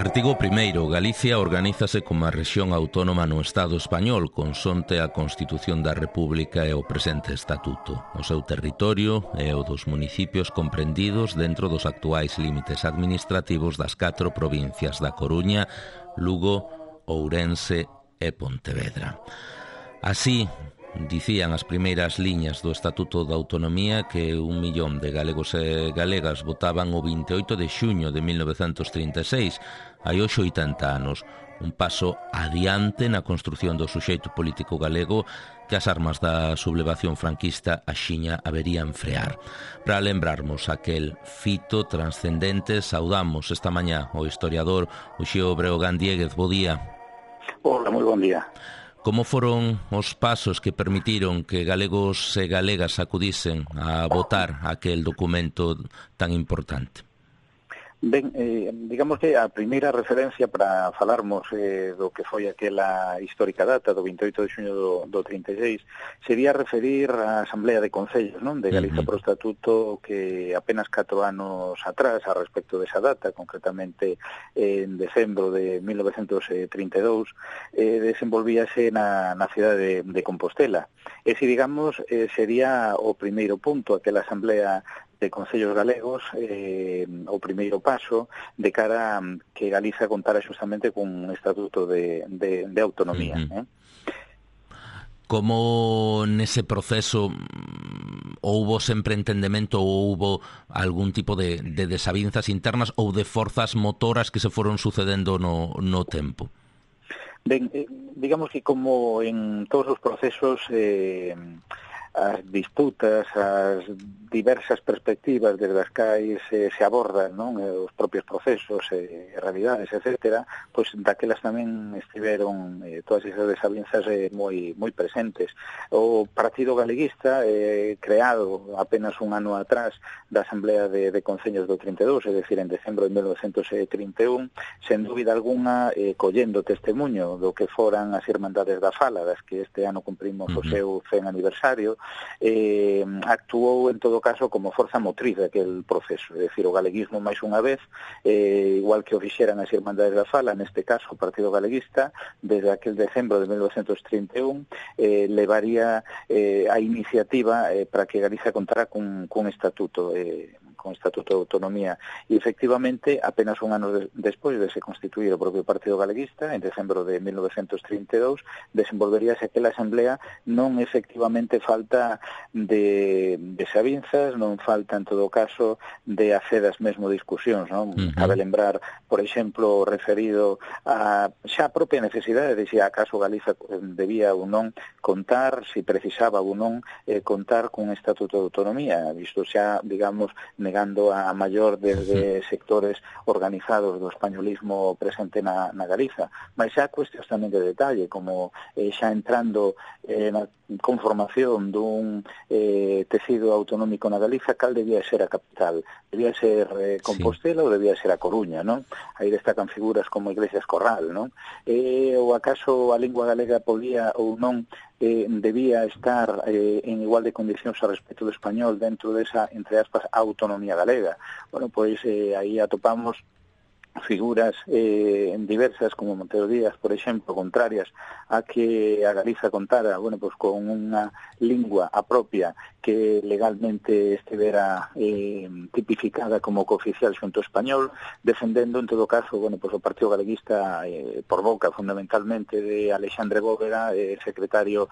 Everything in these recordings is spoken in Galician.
Artigo 1º. Galicia organízase como a rexión autónoma no Estado español, consonte a Constitución da República e o presente Estatuto. O seu territorio é o dos municipios comprendidos dentro dos actuais límites administrativos das 4 provincias da Coruña, Lugo, Ourense e Pontevedra. Así, dicían as primeiras liñas do Estatuto da Autonomía que 1 millón de galegos e galegas votaban o 28 de xuño de 1936, hai hoxe 80 anos, un paso adiante na construción do suxeito político galego que as armas da sublevación franquista axiña haberían frear. Para lembrarmos aquel fito transcendente, saudamos esta mañá o historiador Uxío Breogán Diéguez. Bo día. Hola, moi bon día. Como foron os pasos que permitiron que galegos e galegas acudisen a votar aquel documento tan importante? Ben, digamos que a primeira referencia para falarmos do que foi aquela histórica data do 28 de xuño do 36 sería referir a Asamblea de Concellos, non, de Galiza pro Estatuto, que apenas 4 anos atrás a respecto desa data, concretamente en decembro de 1932, desenvolvíase na cidade de Compostela. Ese, digamos, sería o primeiro punto, aquela Asamblea de Concellos Galegos, o primeiro paso de cara a que Galiza contara xustamente cun estatuto de autonomía. Como nese proceso houbo sempre entendemento ou houbo algún tipo de desavinzas internas ou de forzas motoras que se foron sucedendo no tempo? Ben, digamos que como en todos os procesos, as disputas, as diversas perspectivas desde as cais se abordan, non, os propios procesos, realidades, etcétera, pois daquelas tamén estiveron todas esas desavinzas moi presentes. O Partido Galeguista, creado apenas un ano atrás da Asamblea de Concellos do 32, é dicir, en decembro de 1931, sen dúbida alguna, collendo testemunho do que foran as Irmandades da Fala, das que este ano cumprimos o seu 100 aniversario, actuou en todo caso como forza motriz daquel proceso, é dicir, o galeguismo máis unha vez, igual que o fixeran as Irmandades da Fala, neste caso o Partido Galeguista, desde aquel decembro de 1931, levaría a iniciativa para que Galiza contara cun estatuto, con Estatuto de Autonomía, e efectivamente apenas un ano despois de se constituir o propio Partido Galeguista, en decembro de 1932, desenvolveríase aquela asamblea, non efectivamente falta de desavinzas, non falta en todo caso de acedas mesmo discusións, non? Cabe lembrar, por exemplo, referido a xa a propia necesidade de se acaso Galiza debía ou non contar, se precisaba ou non contar cun Estatuto de Autonomía, visto xa, digamos, negando a maior desde sectores organizados do españolismo presente na Galiza. Mas xa cuestións tamén de detalle, como xa entrando na conformación dun tecido autonómico na Galiza, cal debía ser a capital? Debía ser Compostela ou debía ser a Coruña, non? Aí destacan figuras como Iglesias Corral, non? Ou acaso a lingua galega podía ou non debía estar en igual de condicións a respecto do español dentro desa, entre aspas, autonomía galega. Bueno, pois aí atopamos figuras diversas como Montero Díaz, por exemplo, contrarias a que a Galiza contara, bueno, pues con unha lingua a propia que legalmente estivera tipificada como cooficial xunto español, defendendo en todo caso, bueno, pues o Partido Galeguista por boca fundamentalmente de Alexandre Bóveda, secretario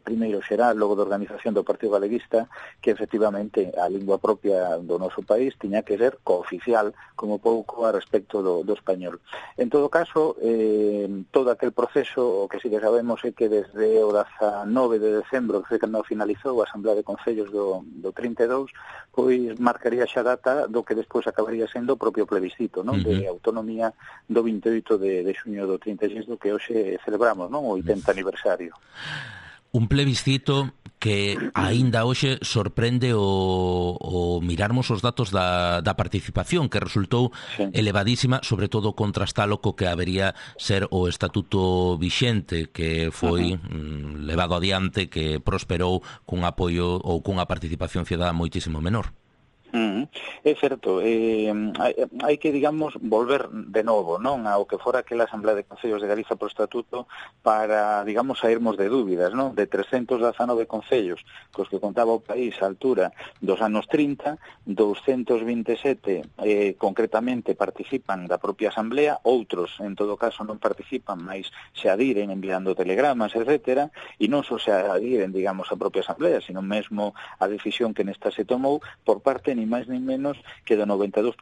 primeiro xeral, logo de organización do Partido Galeguista, que efectivamente a lingua propia do noso país tiña que ser cooficial como pouco a respecto do español. En todo caso, todo aquel proceso, o que sí que sabemos é que desde o 19 de decembro, que foi cando finalizou a Asamblea de Concellos do 32, pois marcaría xa data do que despois acabaría sendo o propio plebiscito, non, de autonomía do 28 de xuño do 36, do que hoxe celebramos, non, o 80 aniversario. Un plebiscito que aínda hoxe sorprende o mirarmos os datos da participación, que resultou elevadísima, sobre todo contrastalo co que habería ser o estatuto vixente, que foi levado adiante, que prosperou cun apoio ou cunha participación cidadá moitísimo menor. É certo, hai que, digamos, volver de novo, non, ao que fora aquela Asamblea de Concellos de Galiza por estatuto para, digamos, sairmos de dúbidas, non, de 319 concellos cos que contaba o país á altura dos anos 30, 227 concretamente participan da propia Asamblea, outros, en todo caso, non participan, mas se adiren enviando telegramas, etcétera, e non só se adiren, digamos, a propia Asamblea, sino mesmo a decisión que nesta se tomou por parte ni máis ni menos que do 92%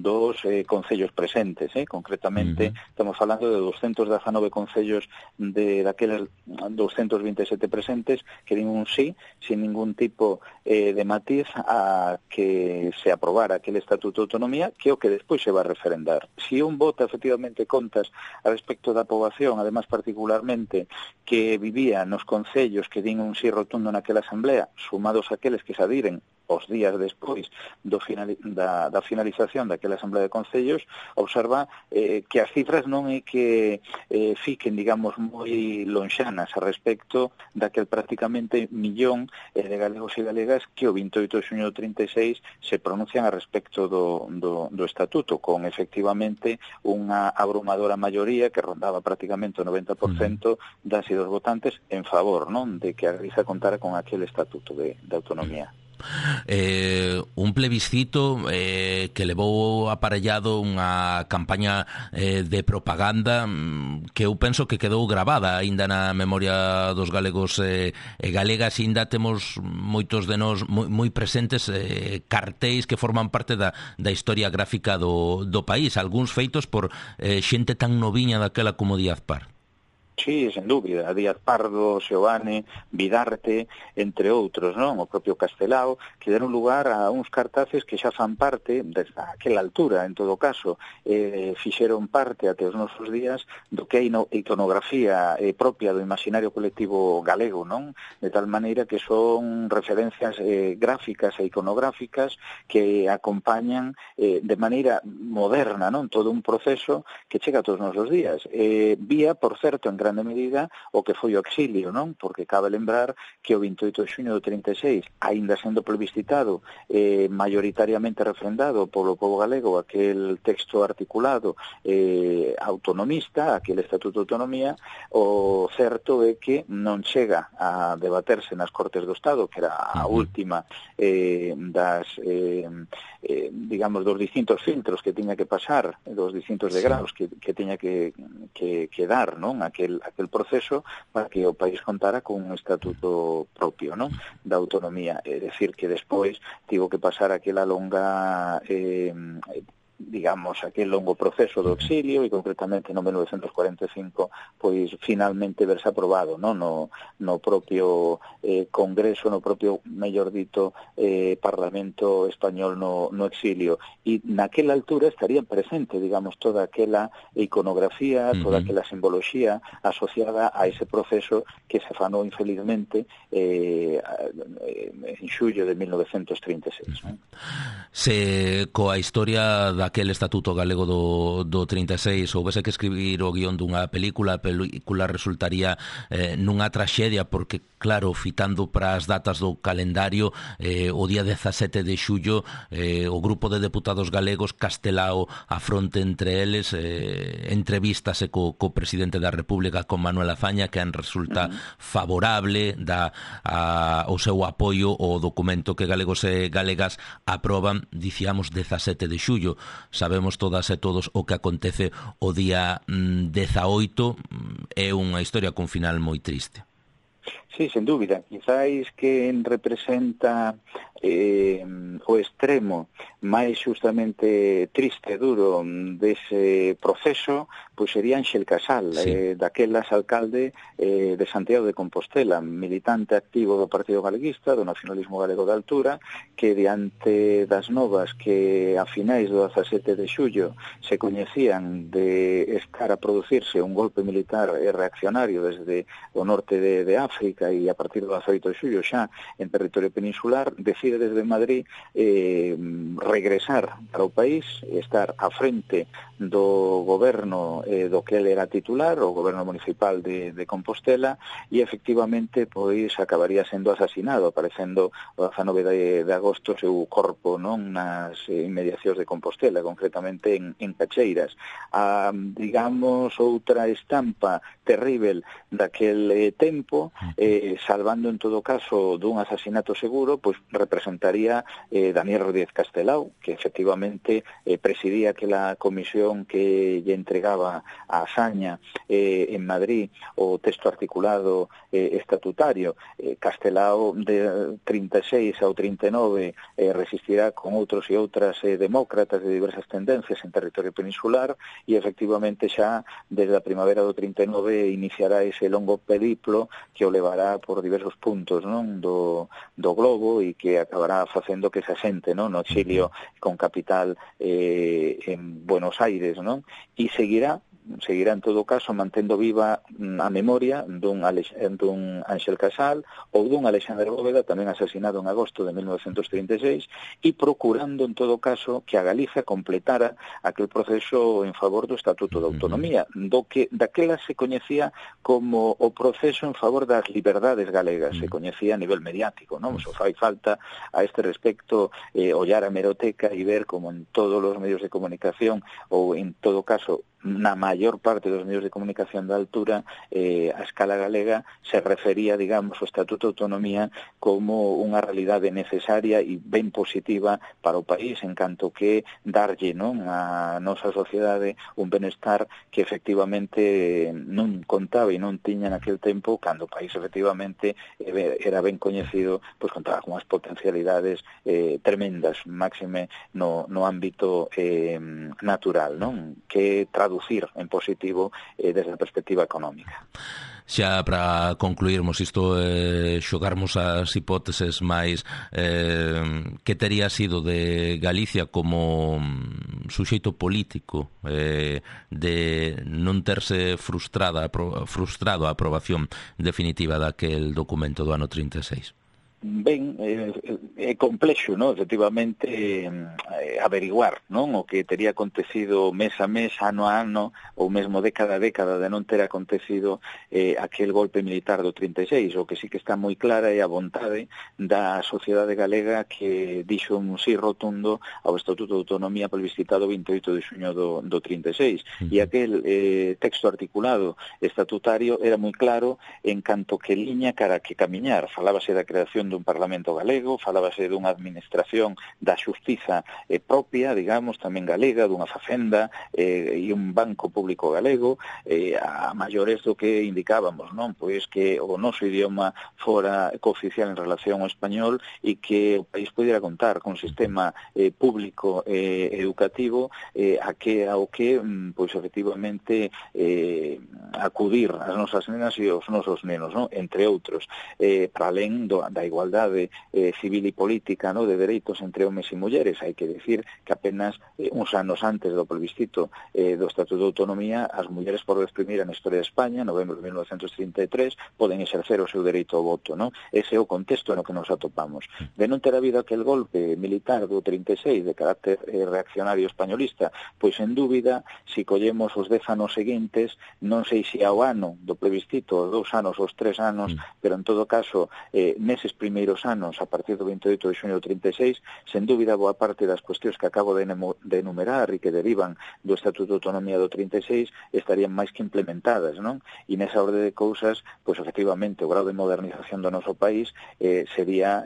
dos concellos presentes, concretamente estamos falando de 219 concellos de daqueles 227 presentes que din un sí, sin ningún tipo de matiz a que se aprobara aquel Estatuto de Autonomía, que é o que despois se va a referendar. Si un vota efectivamente contas a respecto da poboación, además particularmente que vivía nos concellos que din un sí rotundo naquela asamblea, sumados aqueles que se adiren os días despois da finalización daquela Asamblea de Concellos, observa que as cifras non é que fiquen, digamos, moi lonxanas a respecto daquel prácticamente millón de galegos e galegas que o 28 de xuño do 36 se pronuncian a respecto do Estatuto, con efectivamente unha abrumadora maioría que rondaba prácticamente o 90% das e dos votantes en favor, non, de que a Galiza contara con aquel Estatuto de Autonomía. Un plebiscito que levou aparellado unha campaña de propaganda que eu penso que quedou gravada aínda na memoria dos galegos e galegas, e aínda temos moitos de nós moi presentes cartéis que forman parte da historia gráfica do país, algúns feitos por xente tan noviña daquela como Díaz Par. Sí, sen dúbida, Díaz Pardo, Seoane, Vidarte, entre outros, non? O propio Castelao, que deron lugar a uns cartaces que xa fan parte, desde aquela altura, en todo caso, fixeron parte até os nosos días do que é iconografía propia do imaginario colectivo galego, non? De tal maneira que son referencias gráficas e iconográficas que acompañan de maneira moderna, non? Todo un proceso que chega a todos os nosos días. Vía, por certo, en grande medida o que foi o exilio, non? Porque cabe lembrar que o 28 de xuño do 36, aínda sendo plebiscitado, maioritariamente refrendado polo pobo galego aquel texto articulado autonomista, aquel Estatuto de Autonomía, o certo é que non chega a debaterse nas Cortes do Estado, que era a última digamos, dos distintos filtros que tiña que pasar, dos distintos degraus que tiña que dar, non? Aquel proceso para que o país contara con un estatuto propio, non? Da autonomía, é dicir que despois tivo que pasar aquela longa digamos, aquel longo proceso do exilio e concretamente no 1945 pois finalmente verse aprobado, non? No propio Congreso, no propio, mellor dito, Parlamento español no exilio, e naquela altura estaría presente, digamos, toda aquela iconografía, toda aquela simboloxía asociada a ese proceso que se fanou infelizmente en xullo de 1936, non? Se coa historia daquele Estatuto Galego do 36 houvese que escribir o guión dunha película, a película resultaría nunha traxedia, porque claro, fitando para as datas do calendario, o día 17 de xullo o grupo de deputados galegos, Castelao a fronte entre eles, entrevístase co presidente da República, con Manuel Azaña, que en resulta favorable, dá o seu apoio ao documento que galegos e galegas aproban, dicíamos, 17 de xullo. Sabemos todas e todos o que acontece o día 18, é unha historia con final moi triste. Sí, sen dúbida. Quizáis que representa o extremo máis justamente triste e duro dese proceso, pois sería Ángel Casal, daquelas alcalde de Santiago de Compostela, militante activo do Partido Galeguista, do nacionalismo galego de altura, que diante das novas que a finais do 17 de xullo se coñecían de estar a producirse un golpe militar e reaccionario desde o norte de África, República e a partir do 18 de xullo xa en territorio peninsular, decide desde Madrid regresar para o país, estar á frente do goberno do que ele era titular, o goberno municipal de Compostela, e efectivamente pois acabaría sendo asasinado, aparecendo o 19 de agosto seu corpo, non, nas inmediacións de Compostela, concretamente en Cacheiras. Digamos, outra estampa terrível daquel tempo, salvando en todo caso dun asasinato seguro, pois representaría Daniel Rodríguez Castelao, que efectivamente presidía aquela comisión que lle entregaba a Asaña en Madrid o texto articulado estatutario. Castelao de 36 ao 39 resistirá con outros e outras demócratas de diversas tendencias en territorio peninsular e efectivamente xa desde a primavera do 39 iniciará ese longo periplo que o levará por diversos puntos, non, do globo e que acabará facendo que se asente, non, no exilio con capital en Buenos Aires, non, e seguirá en todo caso mantendo viva a memoria dun Ángel Casal ou dun Alexandre Bóveda, tamén asesinado en agosto de 1936, e procurando en todo caso que a Galiza completara aquel proceso en favor do Estatuto de Autonomía, daquela se coñecía como o proceso en favor das liberdades galegas, se coñecía a nivel mediático, non? Só fai falta a este respecto ollar a hemeroteca e ver como en todos os medios de comunicación ou en todo caso na maior parte dos medios de comunicación da altura, a escala galega se refería, digamos, ao Estatuto de Autonomía como unha realidade necesaria e ben positiva para o país, en canto que darlle, non, a nosa sociedade un benestar que efectivamente non contaba e non tiña naquele tempo, cando o país efectivamente era ben coñecido, pois contaba con as potencialidades tremendas, máxime no ámbito natural, non, que traducir en positivo desde a perspectiva económica. Xa para concluirmos isto, xogarmos as hipóteses máis que tería sido de Galicia como suxeito político de non terse frustrado a aprobación definitiva daquel documento do ano 36. Ben, é complexo, non? Efectivamente, averiguar, non? O que tería acontecido mes a mes, ano a ano, ou mesmo década a década de non ter acontecido aquel golpe militar do 36. O que sí que está moi clara é a vontade da sociedade galega que dixo un sí rotundo ao Estatuto de Autonomía plebiscitado 28 de xuño do 36. E aquel texto articulado estatutario era moi claro en canto que liña cara que camiñar. Falábase da creación dun Parlamento galego, falábase dunha administración da xustiza propia, digamos, tamén galega, dunha facenda e un banco público galego, a maiores do que indicábamos, non? Pois que o noso idioma fora cooficial en relación ao español e que o país pudiera contar con un sistema público educativo ao que, pois, efectivamente acudir as nosas nenas e os nosos nenos, non? Entre outros, para alén da igualdade civil e política, no, de dereitos entre homes e mulleres. Hai que decir que apenas uns anos antes do plebiscito do Estatuto de Autonomía, as mulleres por vez primeira na historia de España, novembro de 1933, poden exercer o seu dereito ao voto, no? Ese é o contexto no que nos atopamos. De non ter habido aquel golpe militar do 36 de carácter reaccionario españolista, pois en dúbida, se collemos os 10 anos seguintes, non sei se ao ano do plebiscito, os 2 anos, os 3 anos, pero en todo caso, neses primeiros anos, a partir do 28 de xuño do 36, sen dúbida boa parte das cuestións que acabo de enumerar e que derivan do Estatuto de Autonomía do 36 estarían máis que implementadas, non? E nesa orde de cousas, pois efectivamente o grau de modernización do noso país sería,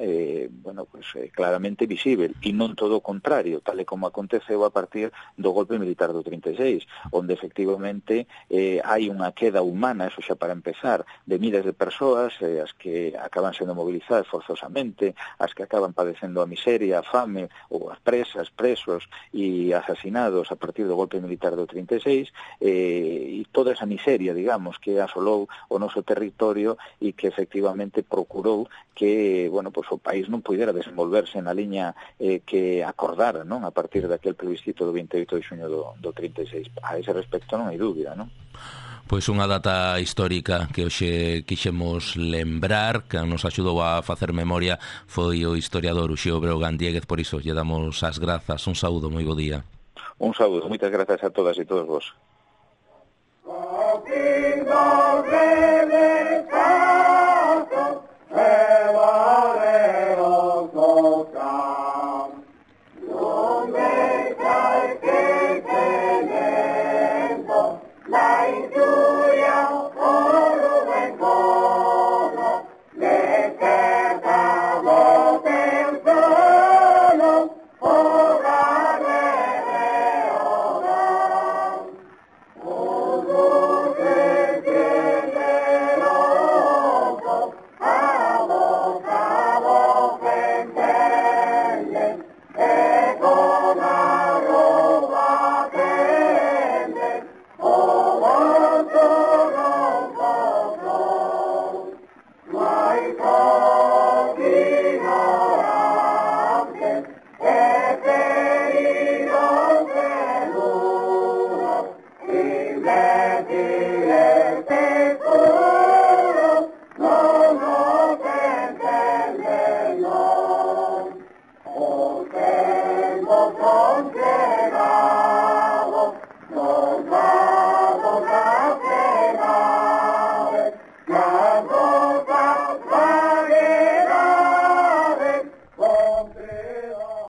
claramente visível, e non todo o contrario, tal e como aconteceu a partir do golpe militar do 36, onde efectivamente hai unha queda humana, eso xa para empezar, de miles de persoas, as que acaban sendo movilizadas forzosamente, as que acaban padecendo a miseria, a fame, ou as presas, presos e asasinados a partir do golpe militar do 36, e toda esa miseria, digamos, que asolou o noso territorio e que efectivamente procurou que, pues o país non pudera desenvolverse na liña que acordara, non? A partir daquel plebiscito do 28 de xuño do 36. A ese respecto non hai dúbida, non? Pois unha data histórica que hoxe quixemos lembrar, que nos axudou a facer memoria, foi o historiador Uxío Breogán Diéguez, por iso lle damos as grazas. Un saúdo, moi bo día. Un saúdo, moitas grazas a todas e todos vos. Oh,